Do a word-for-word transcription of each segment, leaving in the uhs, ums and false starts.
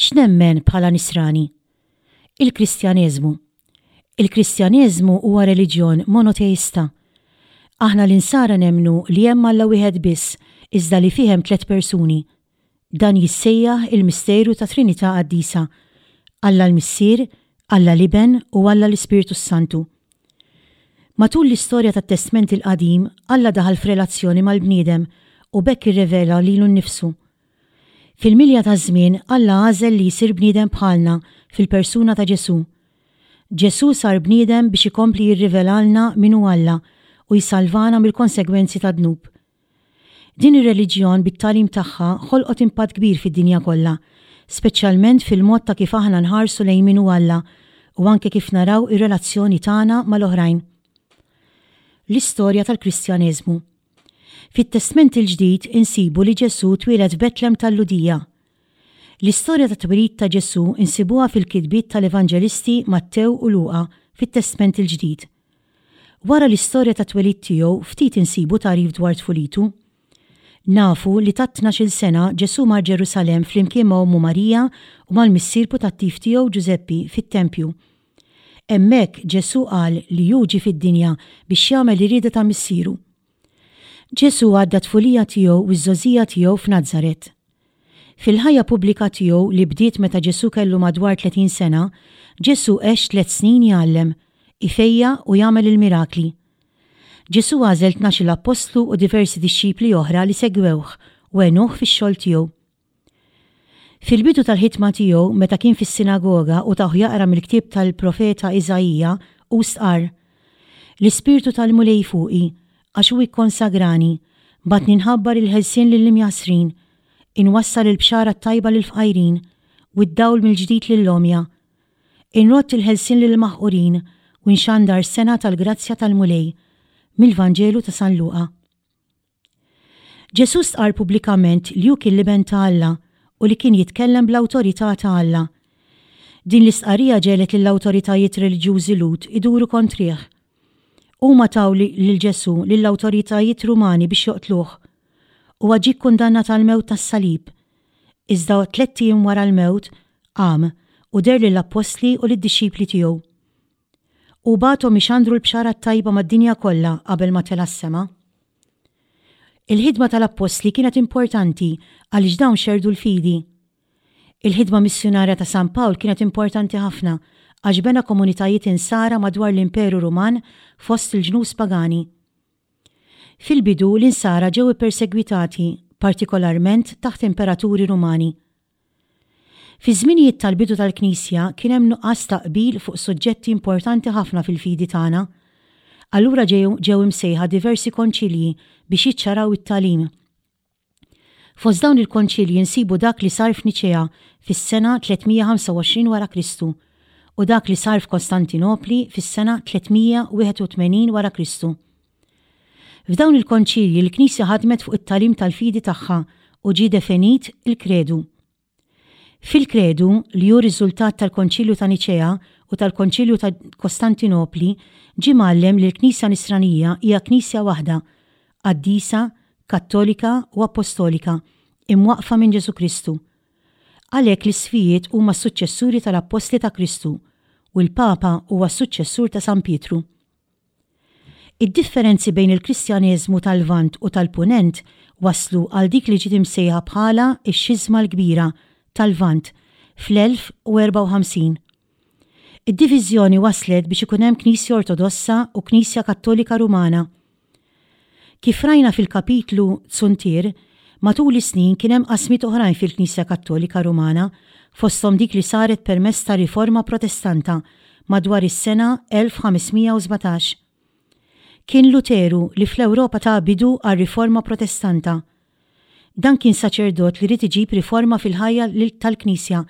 X'nemmen bħala Nisrani? Il-Kristjaneżmu. Il-Kristjaneżmu huwa reliġjon monoteista. Aħna l-Insara nemmnu li hemm Alla wieħed biss, iżda li fih hemm tliet persuni. Dan jissejjaħ il-misteru ta' Trinità Qaddisa: Alla l-Missier, Alla l-Iben u Alla l-Ispirtu Santu. Matul l-istorja tat-Testment il-Qadim, Alla daħal f'relazzjoni mal-bniedem u b'hekk irrevela lilu nnifsu. Fil-milja taż-żmien, Alla għażel li jsir bniedem bħalna fil-persuna ta' Ġesù. Ġesù sar bniedem biex ikompli jirrivelalna min hu Alla u jsalvana mill-konsegwenzi tad-dnub. Din ir-reliġjon bit-tagħlim tagħha ħolqot impatt kbir fid-dinja kollha, speċjalment fil-mod ta' kif aħna nħarsu lejn min hu Alla u anke kif naraw ir-relazzjoni tagħna mal-oħrajn. L-istorja tal-Kristjaneżmu. Fit-Testment il-Ġdid insibu li Ġesù twieled f'Betlem tal-Lhudija. L-istorja tat-twelid ta' Ġesù insibuha fil-kitbiet tal-Evanġelisti Mattew u Luqa fit-Testment il-Ġdid. Wara l-istorja tat-twelid tiegħu ftit insibu tagħrif dwar tfulitu. Nafu li ta' tnax-il sena Ġesù mar Ġerusalemm flimkien ma' ommu Marija u mal-missier putattiv tiegħu Ġużeppi fit-tempju. Hemmhekk Ġesù qal li hu ġie fid-dinja biex jagħmel ir-rieda ta' missieru. Ġesù għadda t-tfulija tiegħu u ż-żgħożija tiegħu f'Nazaret. Fil-ħajja pubblika tiegħu li bdiet meta Ġesù kellu madwar tletin sena, Ġesù għex tliet snin jgħallem, ifejjaq u jagħmel il-mirakli. Ġesù għażel tnax-il appostlu u diversi dixxipli oħra li segwewh u għenuh fix-xogħol tiegħu. Fil-bidu tal-ħidma tiegħu meta kien fis-sinagoga u tawh jaqra mill-ktieb tal-profeta Iżaija, hu stqarr, L-Ispirtu tal-Mulej fuqi, għax hu ikkonsagrani, bagħatni nħabbar il-ħelsien lill-imjassrin, inwassal il-bxara t-tajba lill-fqajrin, u d-dawl mill-ġdid lill-għomja. Inrodd il-ħelsien lill-maħqurin u nxandar sena tal-grazzja tal-Mulej. Mill-Vanġelu ta' San Luqa. Ġesù stqarr pubblikament li hu kien l-Iben ta' Alla u li kien jitkellem bl-awtorità ta' Alla. Din l-istqarrija ġegħlet lill-awtoritajiet reliġjużi Lhud iduru kontrih. Huma taw lil Ġesù lill-awtoritajiet Rumani biex joqtluh. Huwa ġie kkundannat għall-mewt tas-salib. Iżda tlett ijiem wara l-mewt qam u deher lill-appostli u lid-dixxipli tiegħu. Hu bagħathom ixandru l-bxara t-tajba mad-dinja kollha qabel ma tela' s-sema. Il-ħidma tal-appostli kienet importanti għaliex dawn xerrdu l-fidi. Il-ħidma missjunarja ta' San Pawl kienet importanti ħafna għax bena komunitajiet insara madwar l-Imperu Ruman fost il-ġnus pagani. Fil-bidu l-insara ġew ippersegwitati, partikolarment taħt imperaturi Rumani. Fi żminijiet tal-bidu tal-Knisja kien hemm nuqqas ta' qbil fuq suġġetti importanti ħafna fil-fidi tagħna. Allura ġew imsejħa diversi konċilji biex jiċċaraw it-tagħlim. Fost dawn il-konċilji nsibu dak li sar f'Niċea fis-sena tliet mija ħamsa u għoxrin wara Kristu u dak li sar f'Kostantinopli fis-sena tliet mija wieħed u tmenin wara Kristu. F'dawn il-konċilji l-Knisja ħadmet fuq it-tagħlim tal-fidi tagħha u ġie definit il-kredu. Fil-kredu, li hu riżultat tal-Konċilju ta' Niċea u tal-Konċilju ta' Kostantinopli, ġie mgħallem li l-Knisja Nisranija hija Knisja waħda, qaddisa, kattolika u apostolika, imwaqqfa minn Ġesù Kristu. Għalhekk l-isqfijiet huma s-suċċessuri tal-Appostli ta' Kristu u l-Papa huwa s-suċċessur ta' San Pietru. Id-differenzi bejn il-Kristjaneżmu tal-Lvant u tal-Punent waslu għal dik li ġiet imsejħa bħala x-Xiżma l-Kbira tal-Lvant fl-elf u erbgħa u ħamsin. Id-diviżjoni waslet biex ikun hemm Knisja Ortodossa u Knisja Kattolika Rumana. Kif rajna fil-kapitlu Zuntier, matul is-snin kien hemm qasmiet oħrajn fil-Knisja Kattolika Rumana, fosthom dik li saret permezz ta' Riforma Protestanta madwar is-sena elf ħames mija u sbatax. Kien Luteru li fl-Ewropa ta bidu għar-Riforma Protestanta. Dan kien saċerdot li ried iġib riforma fil-ħajja tal-Knisja,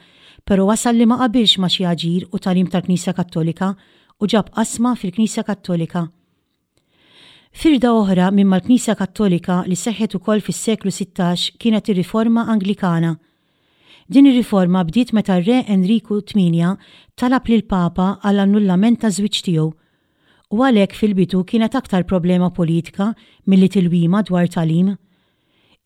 però wasal li ma qabilx ma' xi aġir u tagħlim tal-Knisja Kattolika u ġab qasma fil-Knisja Kattolika. Firda oħra minn mal-Knisja Kattolika li seħħet ukoll fis-seklu sittax kienet ir-Riforma Anglikana. Din ir-riforma bdiet meta r-Re Enriku tmienja talab lil Papa għall annullament taż-żwieġ tiegħu. U għalhekk fil-bidu kienet aktar problema politika milli tilwima dwar tagħlim.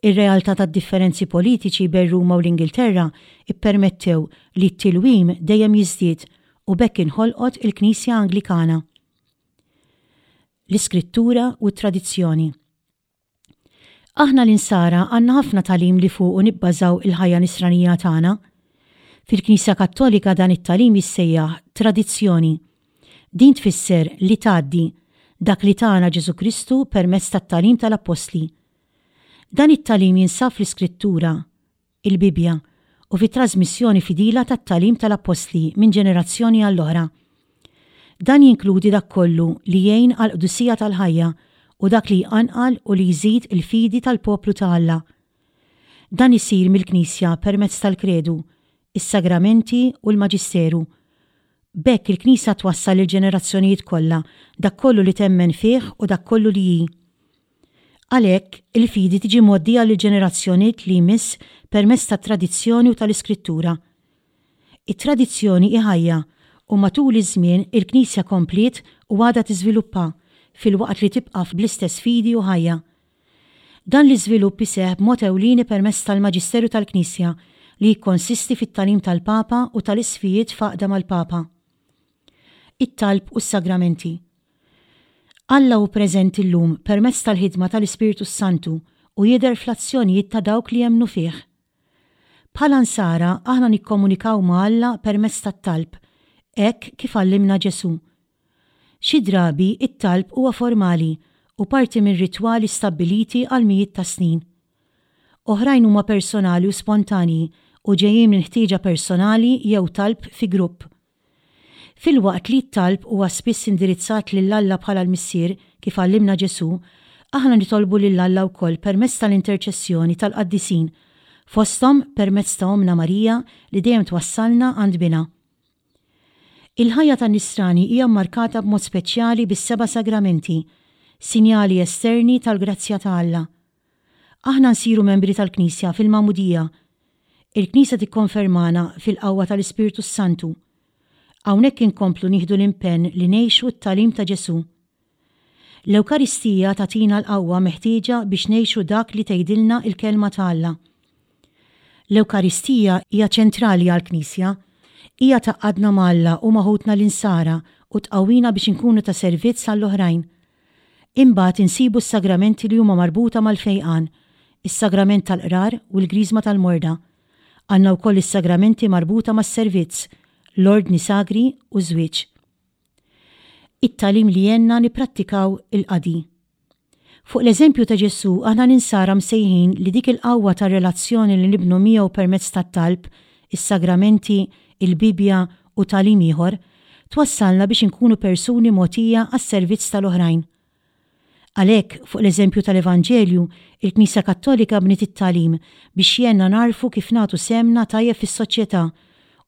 Ir-realtà tad-differenzi politiċi bejn Ruma u l-Ingilterra ppermettew li t-tilwim dejjem jiżdied u b'hekk inħolqot il-Knisja Anglikana. L-Iskrittura u t-Tradizzjoni. Aħna l-Insara għandna ħafna tagħlim li fuqu nibbażaw il-ħajja nisranija tagħna. Fil-Knisja Kattolika dan it-tagħlim jissejjaħ tradizzjoni. Din tfisser li tgħaddi dak li tana Ġesù Kristu permezz tat-tagħlim tal-Appostli. Dan it-tagħlim jinsab fl-Iskrittura, il-Bibbja, u fit-trasmissjoni fidila tat-tagħlim tal-Appostli minn ġenerazzjoni għall-oħra. Dan jinkludi dak kollu li jgħin għall-qdusija tal-ħajja u dak li jqanqal u li jżid il-fidi tal-poplu ta' Alla. Dan isir mill-Knisja permezz tal-kredu, is-sagramenti u l-maġisteru. B'hekk il-Knisja twassal lill-ġenerazzjonijiet kollha dak kollu li temmen fih u dak kollu li hi. Għalhekk, il-fidi tiġi mgħoddija lill-ġenerazzjonijiet li jmiss permezz tat-tradizzjoni u tal-Iskrittura. It-tradizzjoni hi ħajja u matul iż-żmien il-Knisja kompliet u għadha tiżviluppa filwaqt li tibqa' bl-istess fidi u ħajja. Dan l-iżvilupp iseħħ b'mod ewlieni permezz tal-Maġisteru tal-Knisja li jikkonsisti fit-tagħlim tal-Papa u tal-isqfijiet f'għaqda mal-Papa. It-talb u s-sagramenti. Alla hu preżenti llum permezz tal-ħidma tal-Ispirtu s-Santu u jidher fl-azzjonijiet ta' dawk li jemmnu fih. Bħala Nsara aħna nikkomunikaw ma' Alla permezz tat-talb, hekk kif għallimna Ġesù. Xi drabi it-talb huwa formali u parti minn ritwali stabbiliti għal mijiet ta' snin. Oħrajn huma personali u spontanji u ġejjin minn ħtieġa personali jew talb fi grupp. Filwaqt li t-talb huwa spiss indirizzat lil Alla bħala l-Missier kif għallimna Ġesù, aħna nitolbu lil Alla wkoll permezz tal-interċessjoni tal-qaddisin, fosthom permezz ta' Ommna Marija li dejjem twassalna għand Binha. Il-ħajja tan-Nisrani hija mmarkata b'mod speċjali bis-seba' sagramenti, sinjali esterni tal-grazzja ta' Alla. Aħna nsiru membri tal-Knisja fil-Magħmudija. Il-Knisja tikkonfermana fil-qawwa tal-Ispirtu s-Santu. Hawnhekk inkomplu nieħdu l-impenn li ngħixu t-tagħlim ta' Ġesù. L-Ewkaristija tagħtina l-qawwa meħtieġa biex ngħixu dak li tgħidilna l-Kelma ta' Alla. L-Ewkaristija hija ċentrali għall-Knisja. Hija tgħaqqadna ma' Alla u ma' ħutna l-Insara u tqawwina biex inkunu ta' servizz għall-oħrajn. Imbagħad insibu s-sagramenti li huma marbuta mal-fejqan, is-sagrament tal-qrar u l-griżma tal-morda. Għandna wkoll is-sagramenti marbuta mas-servizz, l-ordni sagri u ż-żwieġ. It-tagħlim li għenna nipprattikaw il-qadi. Fuq l-eżempju ta' Ġesù aħna l-Insara msejħin li dik il-qawwa ta' relazzjoni li nibnu miegħu permezz tat-talb, is-sagramenti, il-Bibbja u tagħlim ieħor, twassalna biex inkunu persuni mogħtija għas-servizz tal-oħrajn. Għalhekk, fuq l-eżempju tal-Evanġelju, il-Knisja Kattolika bniet it-tagħlim biex jgħinna nagħrfu kif nagħtu sehemna tajjeb fis-soċjetà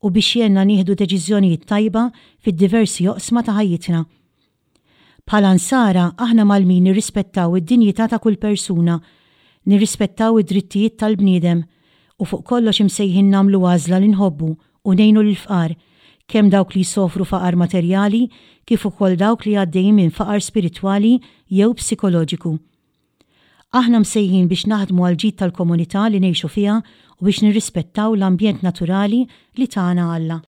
u biex jgħinna nieħdu deċiżjonijiet tajba fid-diversi oqsma ta' ħajjitna. Bħala Nsara, aħna mgħallmin nirrispettaw id-dinjità ta' kull persuna, nirrispettaw id-drittijiet tal-bniedem u fuq kollox imsejħin nagħmlu għażla li nħobbu u ngħinu lill-fqar, kemm dawk li jsofru faqar materjali kif ukoll dawk li għaddejjin minn faqar spiritwali jew psikoloġiku. Aħna msejħin biex naħdmu għall-ġid tal-komunità li ngħixu fiha u biex nirrispettaw l-ambjent naturali li tana Alla.